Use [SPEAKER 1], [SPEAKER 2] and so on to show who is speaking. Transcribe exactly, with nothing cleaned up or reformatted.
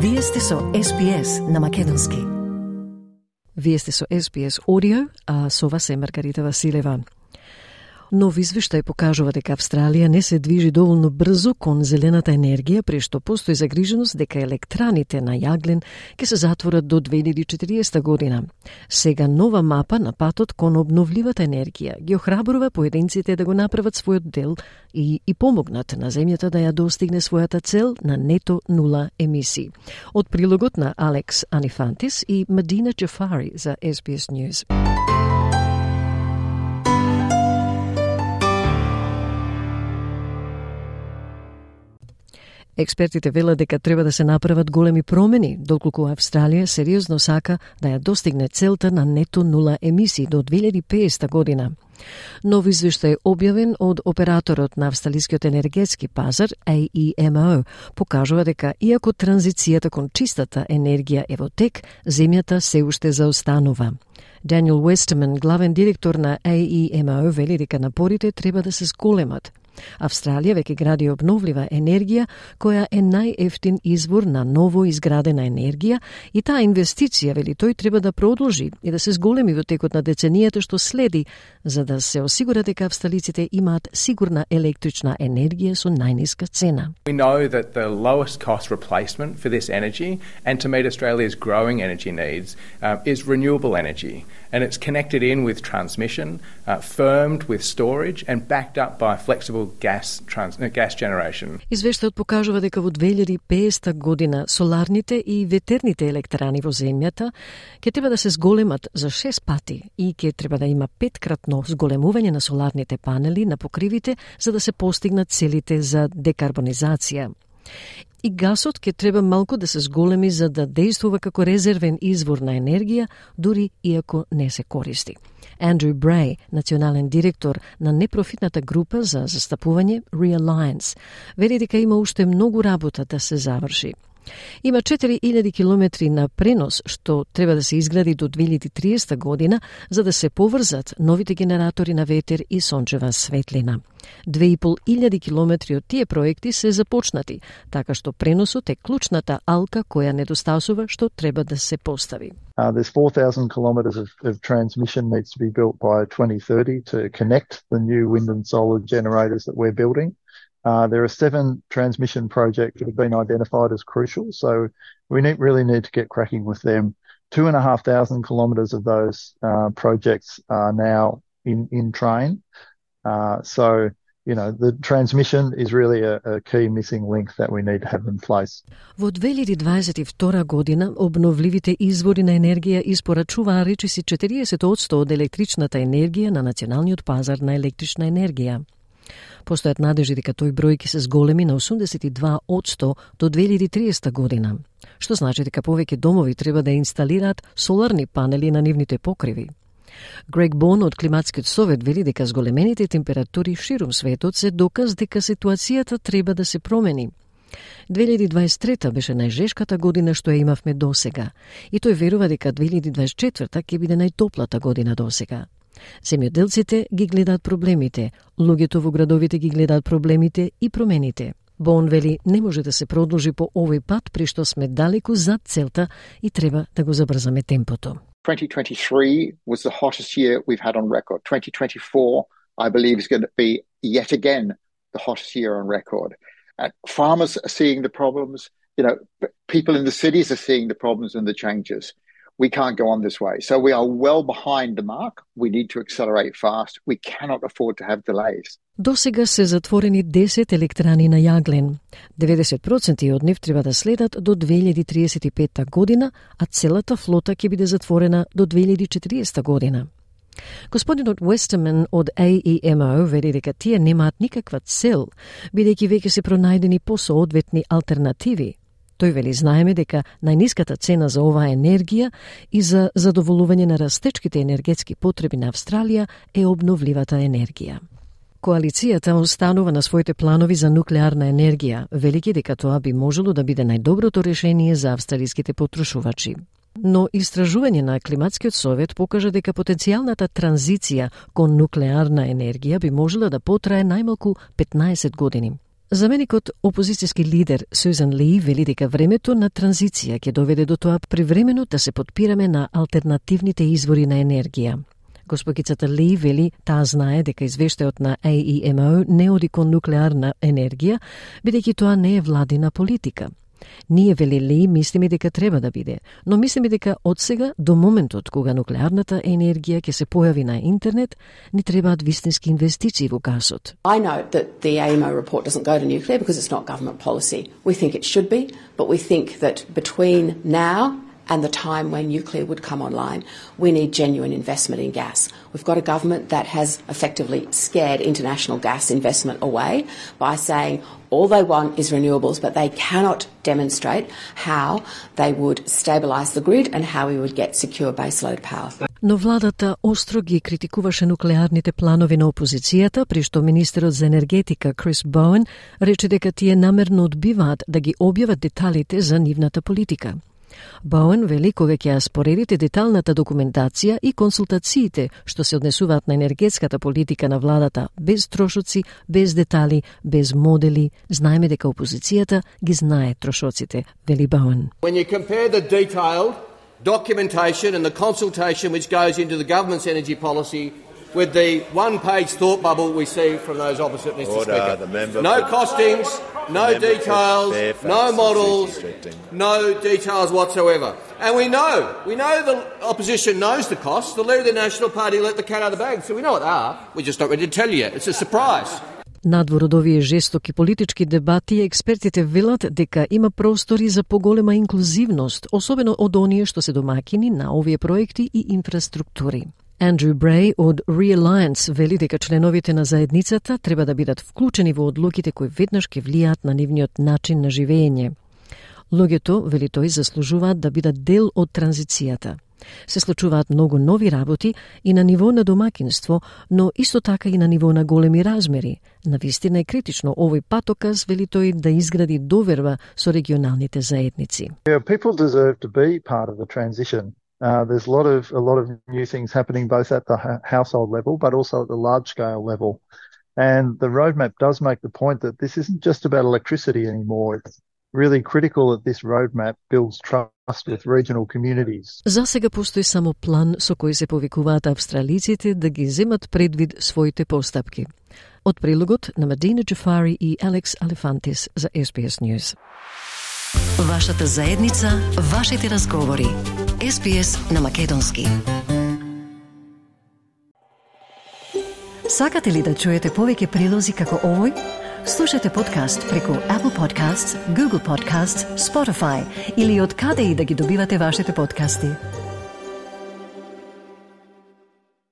[SPEAKER 1] Вие сте со Ес Би Ес на македонски. Вие сте со Ес Би Ес Audio, а со вас е Маргарита Василева. Нов извештај покажува дека Австралија не се движи доволно брзо кон зелената енергија, при што постои загриженост дека електраните на јаглен ќе се затворат до две илјади и четириесета година. Сега нова мапа на патот кон обновливата енергија ги охрабрува поединците да го направат својот дел и, и помогнат на земјата да ја достигне својата цел на нето нула емисии. Од прилогот на Алекс Анифантис и Медина Джафари за Ес Би Ес News. Експертите велат дека треба да се направат големи промени, доколку Австралија сериозно сака да ја достигне целта на нето нула емисии до две илјади и педесета година. Нов извештај објавен од операторот на австралискиот енергетски пазар А И Ем О покажува дека иако транзицијата кон чистата енергија е во тек, земјата се уште заостанува. Даниел Уестерман, главен директор на А И Ем О, вели дека напорите треба да се зголемат. Австралија веќе гради обновлива енергија, која е најефтин извор на ново изградена енергија и таа инвестиција, вели тој, треба да продолжи и да се зголеми во текот на деценијата што следи, за да се осигура дека австралиците имаат сигурна електрична енергија со најниска цена.
[SPEAKER 2] We know that the lowest cost replacement for this energy and to meet Australia's growing energy needs uh, is renewable energy, and it's connected in with transmission, uh, firmed with storage and backed up by flexible gas trans uh, gas generation.
[SPEAKER 1] Извештајот покажува дека во две илјади и педесета година соларните и ветерните електрани во земјата ќе треба да се зголемат за шест пати и ќе треба да има петкратно зголемување на соларните панели на покривите за да се постигнат целите за декарбонизација. И гасот ќе треба малку да се зголеми за да действува како резервен извор на енергија, дури иако не се користи. Андрю Брей, национален директор на непрофитната група за застапување Realliance, вели дека има уште многу работа да се заврши. Има четири илјади километри на пренос што треба да се изгради до две илјади и триесета година за да се поврзат новите генератори на ветер и сончева светлина. Две и пол илјади километри од тие проекти се започнати, така што преносот е клучната алка која недостасува што треба да се постави.
[SPEAKER 3] Uh, there's four thousand kilometres of, of transmission needs to be built by twenty thirty to connect the new wind and solar generators that we're building. Uh, there are seven transmission projects that have been identified as crucial, so we need, really need to get cracking with them. Two and a half thousand kilometres of those uh, projects are now in, in train. Uh, so, you know, the transmission is really a, a key missing link that we need to have in place.
[SPEAKER 1] Во две илјади дваесет и втора година обновливите извори на енергија испорачуваа речиси четириесет одсто од електричната енергија на националниот пазар на електрична енергија. Постојат надежи дека тој број ќе се зголеми на осумдесет и два одсто до две илјади и триесета година, што значи дека повеќе домови треба да инсталираат соларни панели на нивните покриви. Грег Бон од Климатскиот совет вели дека зголемените температури ширум светот се доказ дека ситуацијата треба да се промени. две илјади дваесет и трета беше најжешката година што ја имавме досега, и тој верува дека две илјади дваесет и четврта ќе биде најтоплата година досега. Земјоделците ги гледаат проблемите, луѓето во градовите ги гледаат проблемите и промените. Бон вели не може да се продолжи по овој пат при што сме далеку зад целта и треба да го забрзаме темпото.
[SPEAKER 4] twenty twenty-three was the hottest year we've had on record. twenty twenty-four, I believe, is going to be yet again the hottest year on record. Uh, farmers are seeing the problems. You know, people in the cities are seeing the problems and the changes. We can't go on this way. So we are well behind the mark. We need to accelerate fast. We cannot afford to have delays.
[SPEAKER 1] До сега се затворени десет електрани на јаглен. деветдесет проценти од нив треба да следат до две илјади и триесет и петта година, а целата флота ќе биде затворена до две илјади и четириесета година. Господинот Уестерман од А И Ем О вели дека тие немаат никаква цел, бидејќи веќе се пронајдени посоодветни алтернативи. Тој вели знаеме дека најниската цена за оваа енергија и за задоволување на растечките енергетски потреби на Австралија е обновливата енергија. Коалицијата останува на своите планови за нуклеарна енергија, велики дека тоа би можело да биде најдоброто решение за австралиските потрошувачи. Но истражување на Климатскиот совет покажа дека потенцијалната транзиција кон нуклеарна енергија би можела да потрае најмалку петнаесет години. Заменикот опозицијски лидер Сюзан Ли вели дека времето на транзиција ќе доведе до тоа привремено да се потпираме на алтернативните извори на енергија. Госпогицата Ли вели таа знае дека извештајот на А И Ем О не оди кон нуклеарна енергија, бидејќи тоа не е владина политика. Ние, вели Ли, мислиме дека треба да биде, но мислиме дека од сега до моментот кога нуклеарната енергија ќе се појави на интернет, ни требаат вистински инвестиции во гасот.
[SPEAKER 5] I note that the A I M O report doesn't go to nuclear because it's not government policy. We think it should be, but we think that between now and the time when nuclear would come online, we need genuine investment in gas. We've got a government that has effectively scared international gas investment away by saying all they want is renewables, but they cannot demonstrate how they would stabilise the grid and how we would get secure baseload power.
[SPEAKER 1] Но владата остро ги критикуваше нуклеарните планови на опозицијата, при што министерот за енергетика Крис Боуен рече дека тие намерно одбиваат да ги објават деталите за нивната политика. Боуен вели кога ќе ја споредите деталната документација и консултациите што се однесуваат на енергетската политика на владата без трошоци, без детали, без модели, знаеме дека опозицијата ги знае трошоците, вели Боуен.
[SPEAKER 6] When you compare the detailed documentation and the consultation which goes into the government's energy policy with the one-page thought bubble we see from those opposite, Mister
[SPEAKER 7] Order,
[SPEAKER 6] Speaker.
[SPEAKER 7] the member
[SPEAKER 6] No
[SPEAKER 7] for,
[SPEAKER 6] costings, no details, no models, no details whatsoever. And we know, we know the opposition knows the costs. The leader of the National Party let the cat out of the bag, so we know what they are. We're just not ready to tell you yet. It's a surprise.
[SPEAKER 1] Надвор од овие жестоки политички дебати, експертите велат дека има простори за поголема инклузивност, особено од оние што се домакини на овие проекти и инфраструктури. Андрю Брей од Realliance вели дека членовите на заедницата треба да бидат вклучени во одлуките кои веднаш ќе влијаат на нивниот начин на живење. Луѓето, вели тој, заслужуваат да бидат дел од транзицијата. Се случуваат многу нови работи и на ниво на домакинство, но исто така и на ниво на големи размери. Навистина е критично овој патоказ, вели тој, да изгради доверба со регионалните заедници.
[SPEAKER 3] Yeah, people deserve to be part of the transition. Uh, there's a lot of a lot of new things happening both at the ha- household level, but also at the large scale level. And the roadmap does make the point that this isn't just about electricity anymore. It's really critical that this roadmap builds trust with regional communities.
[SPEAKER 1] За сега постои само план со кој се повикуваат австралиците да ги земат предвид своите постапки. Од прилогот на Медина Джафари и Алекс Алефантис за Ес Би Ес News.
[SPEAKER 8] Вашата заедница, вашите разговори. Ес Би Ес на македонски. Сакате ли да чуете повеќе прилози како овој? Слушате подкаст преку Apple Podcasts, Google Podcasts, Spotify или од каде и да ги добивате вашите подкасти.